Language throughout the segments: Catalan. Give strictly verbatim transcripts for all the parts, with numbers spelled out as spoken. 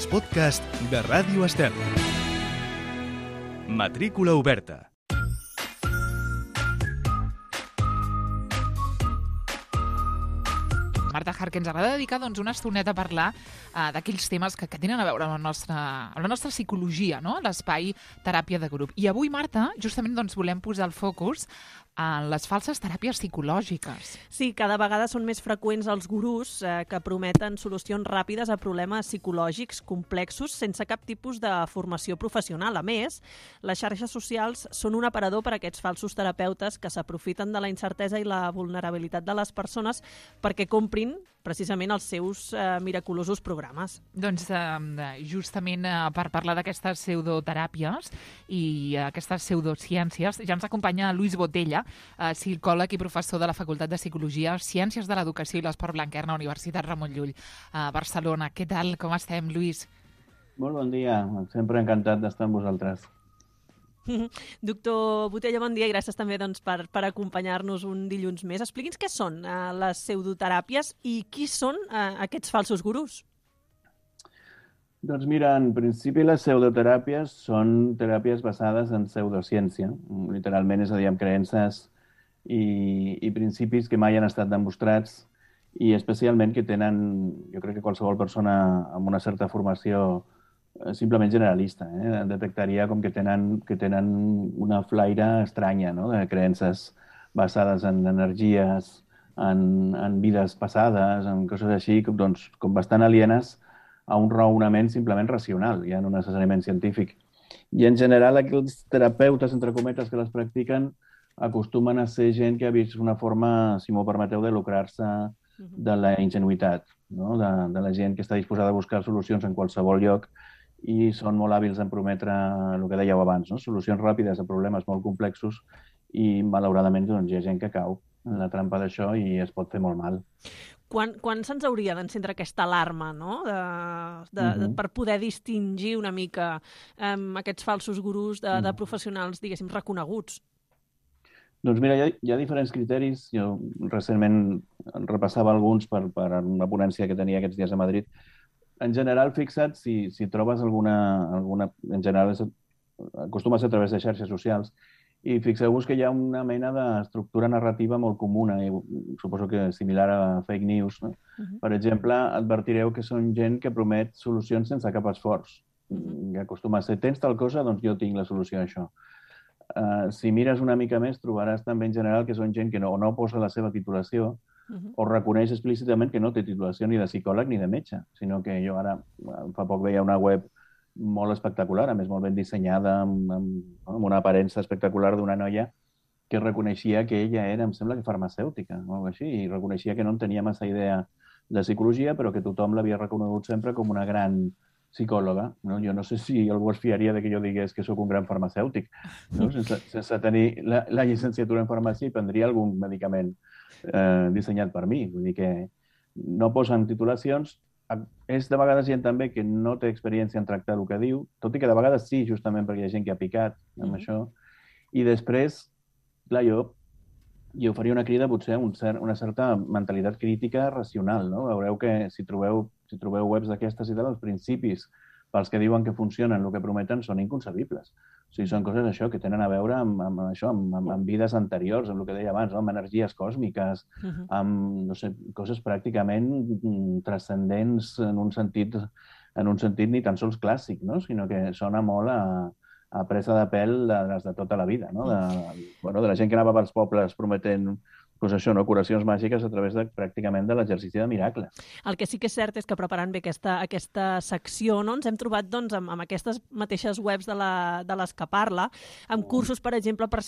els podcasts de Ràdio Estel. Matrícula oberta. Marta Hart, que ens agrada dedicar doncs, una estoneta a parlar uh, d'aquells temes que, que tenen a veure amb la nostra, amb la nostra psicologia, no? L'espai teràpia de grup. I avui, Marta, justament doncs, volem posar el focus en les falses teràpies psicològiques. Sí, cada vegada són més freqüents els gurús eh, que prometen solucions ràpides a problemes psicològics complexos sense cap tipus de formació professional. A més, les xarxes socials són un aparador per a aquests falsos terapeutes que s'aprofiten de la incertesa i la vulnerabilitat de les persones perquè comprin precisament els seus eh, miraculosos programes. Doncs eh, justament eh, per parlar d'aquestes pseudoteràpies i eh, aquestes pseudociències, ja ens acompanya Lluís Botella, eh, psicòleg i professor de la Facultat de Psicologia, Ciències de l'Educació i l'Esport Blanquerna, Universitat Ramon Llull, a Barcelona. Què tal? Com estem, Lluís? Molt bon dia. Sempre encantat d'estar amb vosaltres. Doctor Botella, bon dia i gràcies també doncs, per, per acompanyar-nos un dilluns més. Expliqui'ns què són eh, les pseudoteràpies i qui són eh, aquests falsos gurús. Doncs mira, en principi les pseudoteràpies són teràpies basades en pseudociència. Literalment, és a dir, amb creences i, i principis que mai han estat demostrats i especialment que tenen, jo crec que qualsevol persona amb una certa formació simplement generalista, eh? detectaria com que tenen, que tenen una flaire estranya, no? De creences basades en energies, en, en vides passades, en coses així, com, doncs, com bastant alienes a un raonament simplement racional, ja no necessàriament científic. I en general aquells terapeutes, entre cometes, que les practiquen acostumen a ser gent que ha vist una forma, si m'ho permeteu, de lucrar-se de la ingenuïtat, no? de, de la gent que està disposada a buscar solucions en qualsevol lloc i són molt hàbils en prometre el que dèieu abans, no? Solucions ràpides a problemes molt complexos i, malauradament, doncs, hi ha gent que cau en la trampa d'això i es pot fer molt mal. Quan, quan se'ns hauria d'encendre aquesta alarma, no? de, de, uh-huh. de, per poder distingir una mica um, aquests falsos gurús de, uh-huh. de professionals, diguéssim, reconeguts? Doncs mira, hi ha, hi ha diferents criteris. Jo recentment repassava alguns per, per una ponència que tenia aquests dies a Madrid. En general, fixa't, si, si trobes alguna, alguna... En general, és, acostuma a ser a través de xarxes socials, i fixeu-vos que hi ha una mena d'estructura narrativa molt comuna, i suposo que similar a fake news. No? Uh-huh. Per exemple, advertireu que són gent que promet solucions sense cap esforç. Uh-huh. Que acostuma a ser, tens tal cosa, doncs jo tinc la solució a això. Uh, si mires una mica més, trobaràs també en general que són gent que no, no posa la seva titulació, Uh-huh. o reconeix explícitament que no té titulació ni de psicòleg ni de metge, sinó que jo ara fa poc veia una web molt espectacular, a més molt ben dissenyada, amb, amb, amb una aparença espectacular d'una noia que reconeixia que ella era, em sembla que farmacèutica, o alguna cosa així, i reconeixia que no en tenia massa idea de psicologia, però que tothom l'havia reconegut sempre com una gran psicòloga. No? Jo no sé si algú es fiaria de que jo digués que sóc un gran farmacèutic, no? sense, sense tenir la, la llicenciatura en farmàcia i prendria algun medicament Eh, dissenyat per mi. Vull dir que no posen titulacions. És de vegades gent també que no té experiència en tractar el que diu, tot i que de vegades sí, justament perquè hi ha gent que ha picat amb mm-hmm. això. I després, clar, jo, jo faria una crida potser a un cert, una certa mentalitat crítica racional. No? Veureu que si trobeu, si trobeu webs d'aquestes i tal, els principis pels que diuen que funcionen, el que prometen, són inconcebibles. O sigui, són coses això que tenen a veure amb, amb això, amb, amb, amb vides anteriors, amb el que deia abans, no? Amb energies còsmiques, uh-huh. amb no sé, coses pràcticament transcendents en un sentit, en un sentit ni tan sols clàssic, no? Sinó que sona molt a, a presa de pèl de les de tota la vida, no? De, bueno, de la gent que anava pels pobles prometent pues això, no? Curacions màgiques a través de, pràcticament de l'exercici de miracles. El que sí que és cert és que preparant bé aquesta, aquesta secció no? ens hem trobat doncs, amb, amb aquestes mateixes webs de, la, de les que parla, amb cursos, per exemple, per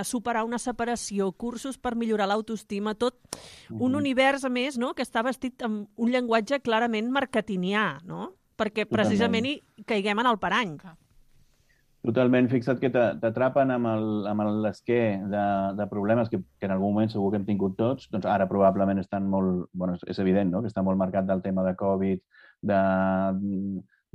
superar una separació, cursos per millorar l'autoestima, tot un uh-huh. univers, a més, no? que està vestit amb un llenguatge clarament marketingià, no? perquè precisament hi caiguem en el parany. Totalment. Fixa't que t'atrapen amb l'esquer de, de problemes que, que en algun moment segur que hem tingut tots. Doncs ara probablement estan molt... Bueno, és evident, no?, que està molt marcat del tema de Covid,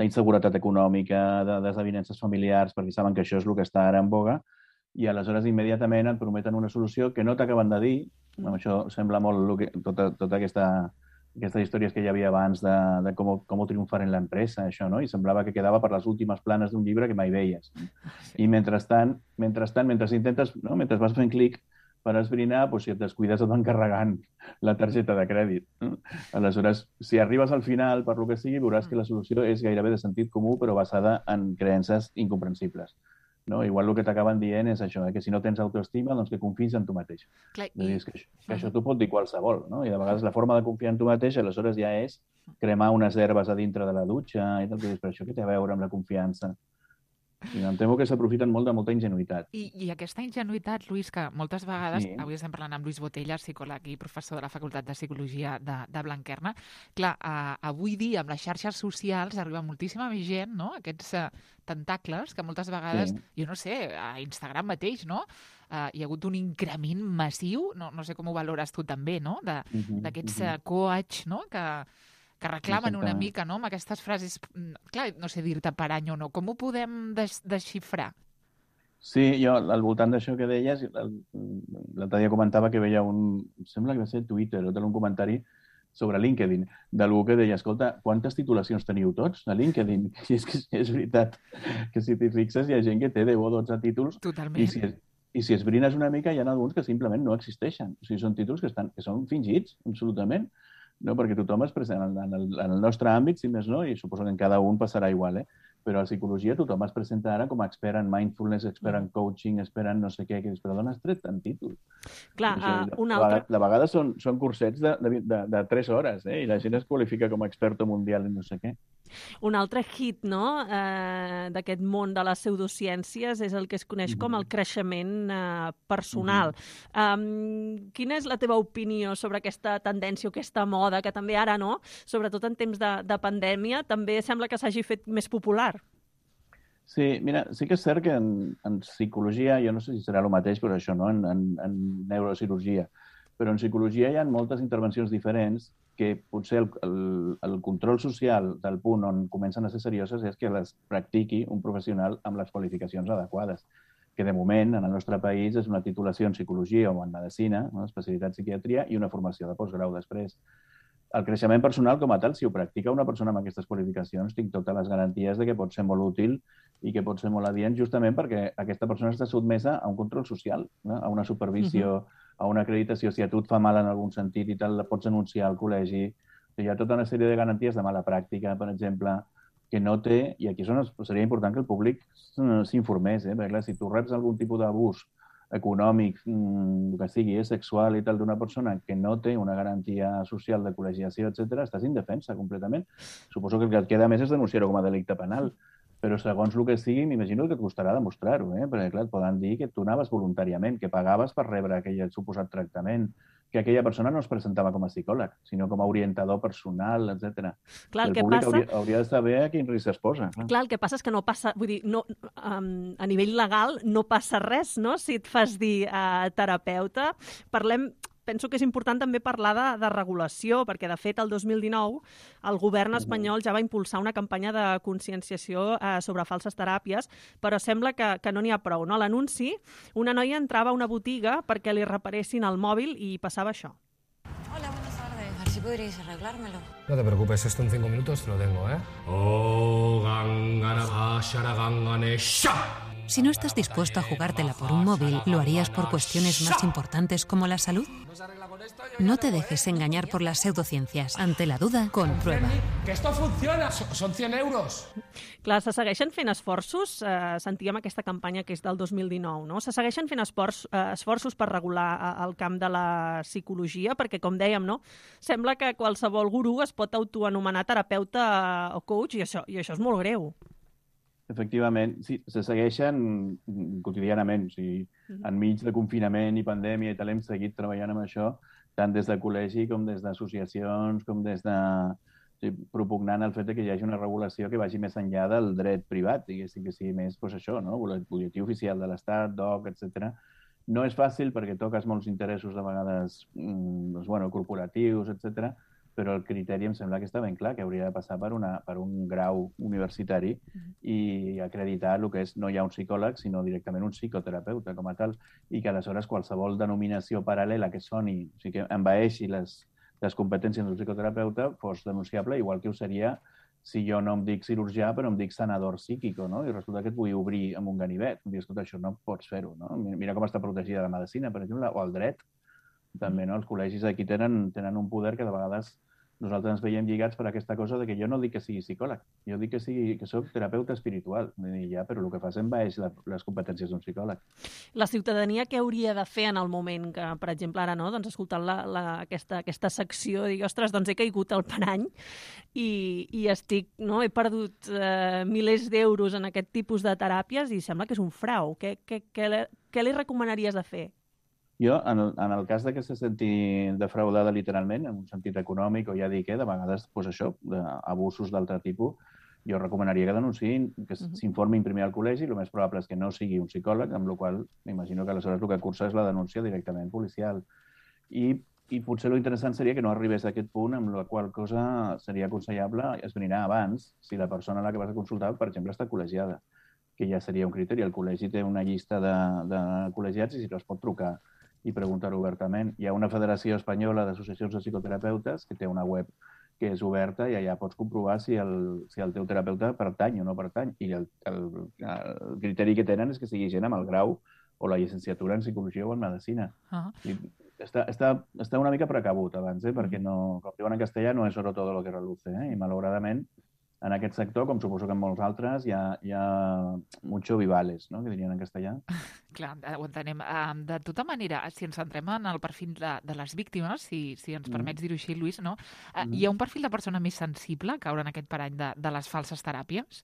d'inseguretat econòmica, de desavinences familiars, perquè saben que això és el que està ara en boga, i aleshores immediatament et prometen una solució que no t'acaben de dir. Amb això sembla molt que, tota, tota aquesta aquestes històries que hi havia abans de, de com, com triomfar en l'empresa, això, no? I semblava que quedava per les últimes planes d'un llibre que mai veies. No? Sí. I mentrestant, mentrestant, mentre intentes, no? mentre vas fent clic per esbrinar, doncs, si et descuides et van carregant la targeta de crèdit. No? Aleshores, si arribes al final, per lo que sigui, veuràs que la solució és gairebé de sentit comú, però basada en creences incomprensibles. No? Igual el que t'acaben dient és això, eh? que si no tens autoestima, doncs que confiïs en tu mateix. Clar, i... dir, que, això, que això t'ho pot dir qualsevol, no? I de vegades la forma de confiar en tu mateix, aleshores ja és cremar unes herbes a dintre de la dutxa i tal, que dius, però això què té a veure amb la confiança? I em temo que s'aprofiten molt de molta ingenuïtat. I, I aquesta ingenuïtat, Lluís, que moltes vegades, sí. avui estem parlant amb Lluís Botella, psicòleg i professor de la Facultat de Psicologia de, de Blanquerna, clar, uh, avui dia amb les xarxes socials arriba moltíssima més gent, no?, aquests uh, tentacles que moltes vegades, sí. jo no sé, a Instagram mateix, no?, uh, hi ha hagut un increment massiu, no, no sé com ho valores tu també, no?, de, uh-huh, d'aquests uh, coach, no?, que... que reclamen una mica, no?, amb aquestes frases... Clar, no sé dir-te per any o no. Com ho podem des desxifrar? Sí, jo, al voltant d'això que deies, l'altre dia comentava que veia un... Sembla que va ser Twitter, o un comentari sobre LinkedIn, d'algú que deia, escolta, quantes titulacions teniu tots a LinkedIn? I és que és veritat que si t'hi fixes hi ha gent que té deu o dotze títols. Totalment. I si, i si esbrines una mica hi ha alguns que simplement no existeixen. O sigui, són títols que, estan, que són fingits, absolutament. No, perquè tothom es presenta en el, en el nostre àmbit, si més no, i suposo que en cada un passarà igual, eh? Però a psicologia tothom es presenta ara com a expert en mindfulness, expert en coaching, expert en no sé què, que dius, però d'on has tret tant títol? Clar, això, uh, de, un de altre... Vegades, de vegades són, són cursets de, de, de, de tres hores, eh? I la gent es qualifica com a experto mundial en no sé què. Un altre hit, no?, eh, d'aquest món de les pseudociències és el que es coneix mm-hmm. com el creixement eh, personal. Mm-hmm. Um, quina és la teva opinió sobre aquesta tendència o aquesta moda, que també ara, no?, sobretot en temps de, de pandèmia, també sembla que s'hagi fet més popular? Sí, mira, sí que és cert que en, en psicologia, jo no sé si serà el mateix, però això, no?, en, en, en neurocirurgia, però en psicologia hi ha moltes intervencions diferents que potser el, el, el control social del punt on comencen a ser serioses és que les practiqui un professional amb les qualificacions adequades, que de moment en el nostre país és una titulació en psicologia o en medicina, no?, especialitat psiquiatria, i una formació de postgrau després. El creixement personal com a tal, si ho practica una persona amb aquestes qualificacions, tinc totes les garanties de que pot ser molt útil i que pot ser molt adient justament perquè aquesta persona està sotmesa a un control social, no?, a una supervisió, uh-huh. a una acreditació. Si a tu et fa mal en algun sentit i tal, la pots denunciar al col·legi. Hi ha tota una sèrie de garanties de mala pràctica, per exemple, que no té, i aquí seria important que el públic s'informés, eh? Perquè clar, si tu reps algun tipus d'abús econòmic, el que sigui, eh, sexual i tal, d'una persona que no té una garantia social de col·legiació, etcètera, estàs indefensa completament. Suposo que el que et queda més és denunciar-ho com a delicte penal. Però segons el que sigui, m'imagino que et costarà demostrar-ho, eh? Perquè, clar, et poden dir que tu anaves voluntàriament, que pagaves per rebre aquell suposat tractament, que aquella persona no es presentava com a psicòleg, sinó com a orientador personal, etcètera. Clar, el, el que públic passa... hauria, hauria de saber a quin risc es posa. Clar. Clar, el que passa és que no passa... Vull dir, no, um, a nivell legal no passa res, no?, si et fas dir uh, terapeuta. Parlem... Penso que és important també parlar de, de regulació, perquè, de fet, el dos mil dinou el govern espanyol ja va impulsar una campanya de conscienciació eh, sobre falses teràpies, però sembla que, que no n'hi ha prou. No? A l'anunci, una noia entrava a una botiga perquè li reparessin el mòbil i passava això. Hola, buenas tardes. A ver si podríais arreglármelo. No te preocupes, esto en cinco minutos te lo tengo, ¿eh? Oh, gangana, shara, gangane, sha. Si no estás dispuesto a jugártela por un móvil, ¿lo harías por cuestiones más importantes como la salud? No te dejes engañar por las pseudociencias. Ante la duda, comprueba. ¡Que esto funciona! Son cien euros! Clar, se segueixen fent esforços, eh, sentíem aquesta campanya que és del dos mil dinou, no? Se segueixen fent esforç, eh, esforços per regular el camp de la psicologia, perquè, com dèiem, no?, sembla que qualsevol gurú es pot autoanomenar terapeuta o coach, i això, i això és molt greu. Efectivament, sí, se segueixen quotidianament. O sigui, enmig de confinament i pandèmia i tal, hem seguit treballant amb això, tant des de col·legi com des d'associacions, com des de... O sigui, propugnant el fet que hi hagi una regulació que vagi més enllà del dret privat, diguéssim, que sigui més, doncs això, no?, butlletí oficial de l'Estat, D O C, etcètera. No és fàcil perquè toques molts interessos de vegades doncs, bueno, corporatius, etcètera, però el criteri em sembla que està ben clar, que hauria de passar per, una, per un grau universitari i acreditar el que és no hi ha un psicòleg, sinó directament un psicoterapeuta com a tal, i que aleshores qualsevol denominació paral·lela que soni, o sigui, que envaeixi les les competències d'un psicoterapeuta fos denunciable, igual que ho seria si jo no em dic cirurgià, però em dic sanador psíquico, no? I resulta que et vull obrir amb un ganivet. Em dius, escolta, això no pots fer-ho, no? Mira com està protegida la medicina, per exemple, o el dret. També, no? Els col·legis aquí tenen, tenen un poder que de vegades nosaltres ens veiem lligats per aquesta cosa de que jo no dic que sigui psicòleg, jo dic que, sigui, que soc terapeuta espiritual. I ja, però el que fas envaeix les competències d'un psicòleg. La ciutadania què hauria de fer en el moment que, per exemple, ara, no, doncs, escoltant la, la, aquesta, aquesta secció, digui, ostres, doncs he caigut al parany i, i estic, no, he perdut eh, milers d'euros en aquest tipus de teràpies i sembla que és un frau. Què, què, què, què li recomanaries de fer? Jo, en el, en el cas de que se senti defraudada literalment, en un sentit econòmic o ja dic, eh, de vegades, doncs això, d'abusos d'altre tipus, jo recomanaria que denunciïn, que s'informin primer al col·legi, el més probable és que no sigui un psicòleg, amb la qual m'imagino que aleshores el que cursa és la denúncia directament policial. I, i potser l'interessant seria que no arribés a aquest punt, amb la qual cosa seria aconsellable esbrinar abans si la persona a la que vas a consultar, per exemple, està col·legiada, que ja seria un criteri. El col·legi té una llista de, de col·legiats i si no es pot trucar i preguntar-ho obertament. Hi ha una federació espanyola d'associacions de psicoterapeutes que té una web que és oberta i allà pots comprovar si el, si el teu terapeuta pertany o no pertany. I el, el, el criteri que tenen és que sigui gent amb el grau o la llicenciatura en psicologia o en medicina. Uh-huh. I està, està, està una mica precabut abans, eh? Perquè no, com diuen en castellà, no és oro todo lo que reluce. Eh? I malauradament, en aquest sector, com suposo que en molts altres, hi ha, hi ha mucho vivales, no?, que dirien en castellà. Clar, ho entenem. De tota manera, si ens centrem en el perfil de, de les víctimes, si, si ens permets dir-ho així, Lluís, no? Mm. Hi ha un perfil de persona més sensible a caure en aquest parany de, de les falses teràpies?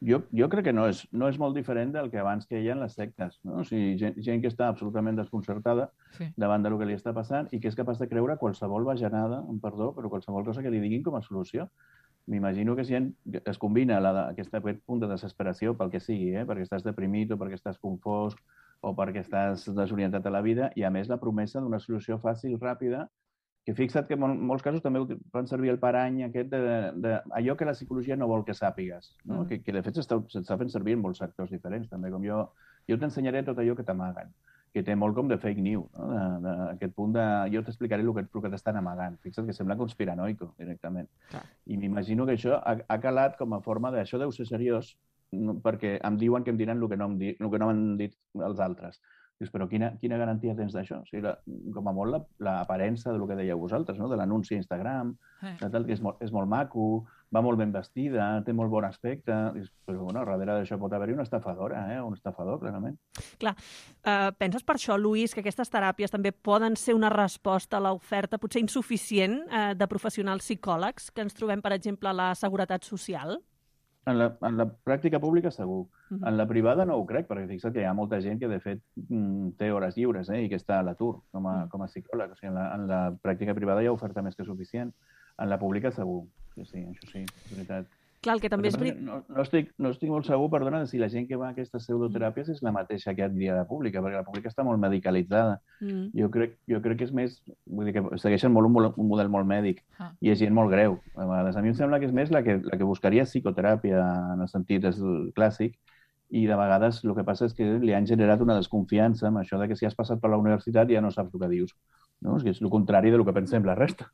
Jo, jo crec que no és, no és molt diferent del que abans que hi ha en les sectes, no? O sigui, gent, gent que està absolutament desconcertada sí. davant del que li està passant i que és capaç de creure qualsevol bajanada, amb perdó, però qualsevol cosa que li diguin com a solució. M'imagino que si es combina la, aquesta, aquest punt de desesperació pel que sigui, eh? Perquè estàs deprimit o perquè estàs confós o perquè estàs desorientat a la vida, i a més la promesa d'una solució fàcil, ràpida, que fixa't que en molts casos també fan servir el parany aquest d'allò que la psicologia no vol que sàpigues, no? Mm. que, que de fet s'està fent servir en molts sectors diferents, també, com jo, jo t'ensenyaré tot allò que t'amaguen, que té molt com de fake news, no? de, de, aquest punt de jo t'explicaré el que, el que t'estan amagant. Fixa't que sembla conspiranoico, directament. Clar. I m'imagino que això ha, ha calat com a forma de això deu ser seriós, no, perquè em diuen que em diran el que no, em di, el que no m'han dit els altres. Dius, però quina, quina garantia tens d'això? O sigui, la, com a molt l'aparença la, del que dèieu vosaltres, no? De l'anunci a Instagram, eh. de tal, que és molt, és molt maco, va molt ben vestida, té molt bon aspecte, dius, però bueno, darrere d'això pot haver-hi una estafadora, eh? un estafador, clarament. Clar, uh, penses per això, Lluís, que aquestes teràpies també poden ser una resposta a l'oferta potser insuficient uh, de professionals psicòlegs que ens trobem, per exemple, a la Seguretat Social? En la, en la pràctica pública, segur. Uh-huh. En la privada no ho crec, perquè fixa't que hi ha molta gent que, de fet, té hores lliures eh, i que està a l'atur com, a, com a psicòleg. O sigui, en la, en la pràctica privada hi ha oferta més que suficient. En la pública, segur. Sí, sí, això sí, és veritat. Clar, el que també és... No, no, estic, no estic molt segur, perdona, de si la gent que va a aquestes pseudoteràpies és la mateixa que hi ha de pública, perquè la pública està molt medicalitzada. Mm. Jo, crec, jo crec que és més... Vull dir que segueixen molt un, un model molt mèdic ah. i és gent molt greu. A vegades, a mi em sembla que és més la que, la que buscaria psicoteràpia en el sentit clàssic, i de vegades el que passa és que li han generat una desconfiança amb això de que si has passat per la universitat ja no saps el que dius. No? És, que és el contrari del que pensem la resta.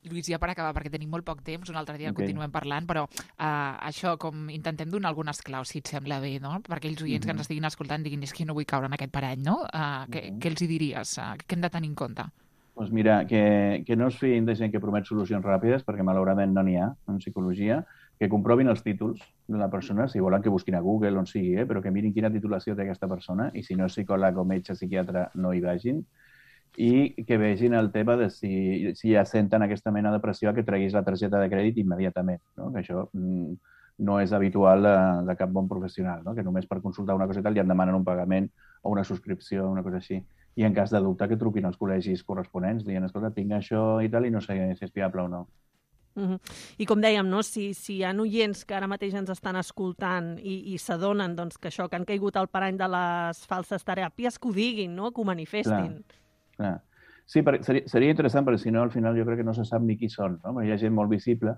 Lluís, ja per acabar, perquè tenim molt poc temps, un altre dia okay. continuem parlant, però uh, això, com intentem donar algunes claus, si et sembla bé, no? Per aquells oients mm-hmm. que ens estiguin escoltant diguin, és que no vull caure en aquest parany, no? Uh, mm-hmm. què, què els hi diries? Uh, què hem de tenir en compte? Doncs mira, que, que no es fiïn de gent que promet solucions ràpides, perquè malauradament no n'hi ha en psicologia, que comprovin els títols de la persona, si volen que busquin a Google, on sigui, eh? Però que mirin quina titulació té aquesta persona, i si no és psicòleg o metge, psiquiatre, no hi vagin, i que vegin el tema de si, si ja senten aquesta mena de pressió que treguis la targeta de crèdit immediatament, no? Que això mm, no és habitual de, de cap bon professional, no? Que només per consultar una cosa i tal ja en demanen un pagament o una subscripció, una cosa així. I en cas de dubte que truquin als col·legis corresponents dient, escolta, tinc això i tal i no sé si és fiable o no. Uh-huh. I com dèiem, no? si, si hi ha oients que ara mateix ens estan escoltant i, i s'adonen doncs, que això, que han caigut al parany de les falses teràpies, que ho diguin, no? Que ho manifestin. Clar. Clar. Sí, per, seria, seria interessant, perquè si no, al final jo crec que no se sap ni qui són. No? Hi ha gent molt visible,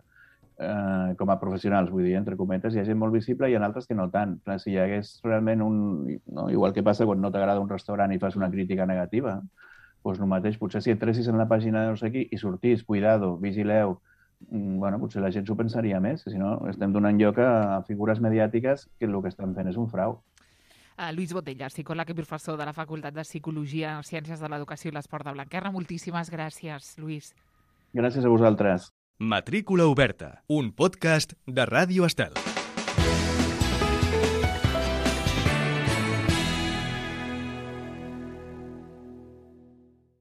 eh, com a professionals, vull dir, entre cometes, hi ha gent molt visible i hi ha altres que no tant. Clar, si hi hagués realment un... No? Igual que passa quan no t'agrada un restaurant i fas una crítica negativa, doncs el mateix, potser si entressis en la pàgina de no sé qui i sortís, cuidado, vigileu, bueno, potser la gent s'ho pensaria més, si no estem donant lloc a figures mediàtiques que el que estan fent és un frau. Uh, Luis Botella, psicòleg i professor de la Facultat de Psicologia, Ciències de l'Educació i l'Esport de Blanquerna. Moltíssimes gràcies, Luis. Gràcies a vosaltres. Matrícula oberta, un podcast de Ràdio Estel.